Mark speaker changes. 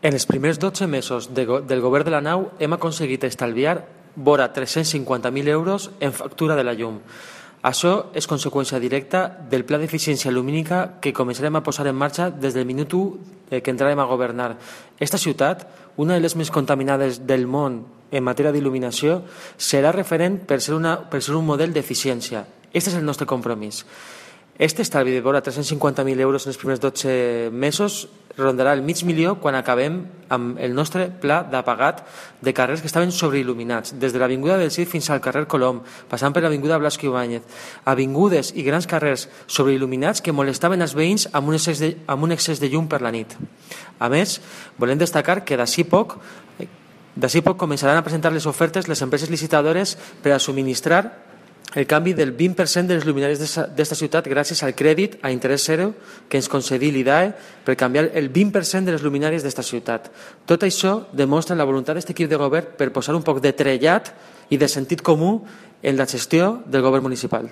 Speaker 1: En els primers 12 mesos del govern de la nau hem aconseguit estalviar vora 350.000 euros en factura de la llum. Això és conseqüència directa del pla d'eficiència lumínica que començarem a posar en marxa des del minut 1 que entrarem a governar. Esta ciutat, una de les més contaminades del món en matèria d'il·luminació, serà referent per ser un model d'eficiència. Aquest és el nostre compromís. Este estalvi de vora 350.000 euros en els primers 12 mesos rondarà el $500.000 quan acabem amb el nostre pla d'apagat de carrers que estaven sobreil·luminats, des de l'Avinguda del Cid fins al carrer Colom, passant per l'Avinguda Blasco Ibáñez, avingudes i grans carrers sobreil·luminats que molestaven els veïns amb un excés de llum per la nit. A més, volem destacar que d'ací poc començaran a presentar les ofertes les empreses licitadores per a subministrar el canvi del 20% de les luminàries d'esta ciutat gràcies al crèdit a interès zero que ens concedí l'IDAE per canviar el 20% de les luminàries d'esta ciutat. Tot això demostra la voluntat d'aquest equip de govern per posar un poc de trellat i de sentit comú en la gestió del govern municipal.